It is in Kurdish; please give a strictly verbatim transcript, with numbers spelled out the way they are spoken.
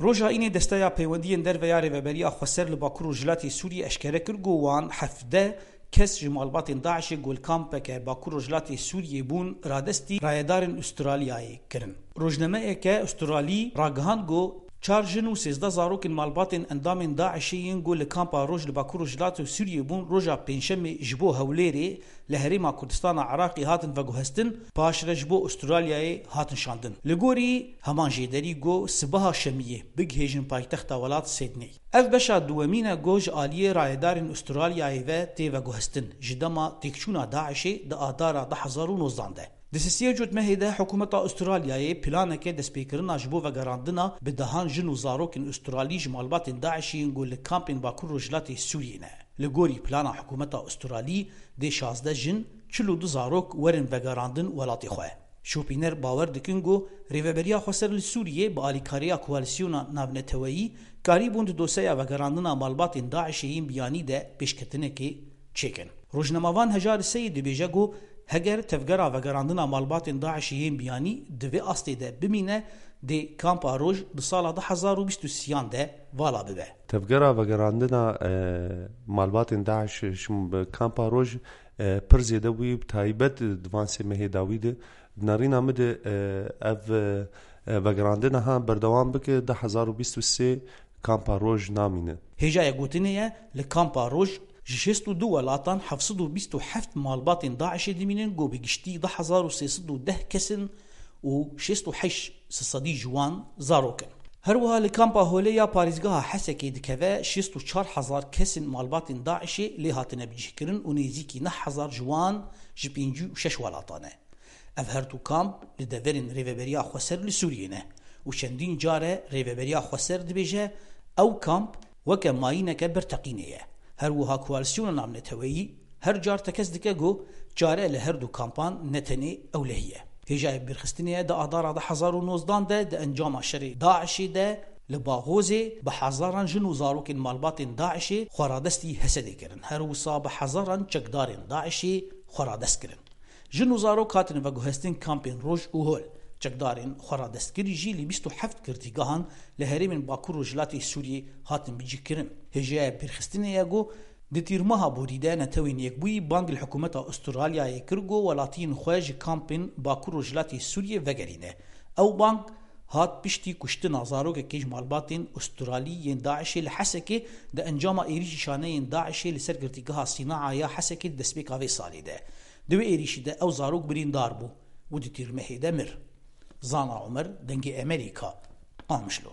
Roja Înê Desteya Peywendiyên Derve ya Rêveberiya Xweser li Bakur Rojhilatê Sûriyê eşkere kir ku wan hevdeh kes ji malbatên DAIŞê ku li kampeke Bakur Rojhilatê Sûriyê bûn radestî rayedarên Ûstralyayê kirin. Rojnameyeke Ûstralî ragihand ku çar jin û sêzdeh zarokên malbatên endamên DAIŞê yên ku li kampa Roj li Bakur Rojhilatê Sûriyê bûn roja Pêncşemê ji bo Hewlêrê li Herêma Kurdistana Iraqê hatin veguhestin, paşre ji bo Ûstralyayê hatin şandin. Li gorî heman jêderî ku sibeha Şemiyê bigihêjin paytexta welat Sydney. Ev beşa duwemîn e ku ji aliyê rayedarên Ûstralyayê ve tê veguhestin ji dema têkçûna DAIŞê di Adara du hezar û nozdan de. Di sisiyê Cotmehê de hikûmeta Ûstralyayê planeke destpêkirina ji bo vegerandina bi dehan jin û zarokên Ûstralî ji malbatên DAIŞê yên ku li kampên Bakur Rojhilatê Sûriyê ne. Li gorî plana hikûmeta Ûstralî dê şazdeh jin, çil û du zarok werin vegerandin welatê xwe. Şopîner bawer dikin ku Rêveberiya Xweser li Sûriyê bi alîkariya koalîsyona navneteweyî karîbûn di doseya vegerandina malbatên DAIŞê yên biyanî de pêşketinekê çêkin. Rojnamevan Hejar Seyîd dibêje ku heger tevgera vegerandina malbatên DAIŞê yên biyanî di vê astê de bimîne, dê kampa Roj di sala du hezar û bîst û sêyan de vala bibe. Tevgera vegerandina, e, malbatên DAIŞ ji kampa Roj, e, pir zêde bûyî, bi taybet di van sê mehê dawî de. Di nerîna min de, e, ev, e, vegerandina ha berdewam bike, du hezar û bîst û sê kampa Roj namîne. Hêjaya gotinê ye, li kampa Roj ji şêst û du welatan heft sed û bîst û heft malbatên DAIŞê dimînin ku bi giştî du hezar û sê sed û deh kes in û şêst û heşt sedî ji wan zarok in. Her wiha li kampa Holê ya parêzgeha Hesekê dikeve şêst û çar hezar kes in malbatên DAIŞê lê hatine bicihkirin û nêzîkî neh hezar ji wan ji pêncî û şeş welatan e. Ev her du kamp li deverên Rêveberiya Xweser li Sûriyê ne û çendîn car e Rêveberiya Xweser dibêje ew kamp weke mayîneke berteqînê ye. Her wiha koalîsyona navneteweyî her car tekez dike ku çare li her du kampan ne tenê ewlehî ye. Hêjayê bîrxistinê ye di Adara du hezar û nozdan de di encama şerê DAIŞê de li Baxozê bi hezaran jin û zarokên malbatên DAIŞê xweradestî Hesedê kirin. Her wisa bi hezaran çekdarên DAIŞê xweradest kirin. Jin û zarok hatin veguhestin kampên Roj û Hol. Çekdarên xweradestkirî jî li bîst û heft girtîgehan li herêmên Bakur Rojhilatê Sûriyê hatin bicihkirin. Hêjaya bîrxistinê ye ku di tîrmeha borî de Netewên Yekbûyî bang li hikûmeta Ûstralyayê kir ku welatiyên xwe ji kampên Bakur Rojhilatê Sûriyê vegerîne. Ew bang hat piştî kuştina zarokekê ji malbatên Ûstralî yên DAIŞê li Hesekê di encama êrîşî şaneyên DAIŞê li ser girtîgeha Sînaa ya Hesekê di destpêka vê salê de. Di wê êrîşî de ew zarok birîndar bû û di tîrmehê de mir. Zana Omer, Dengê Emerîka, Qamişlo.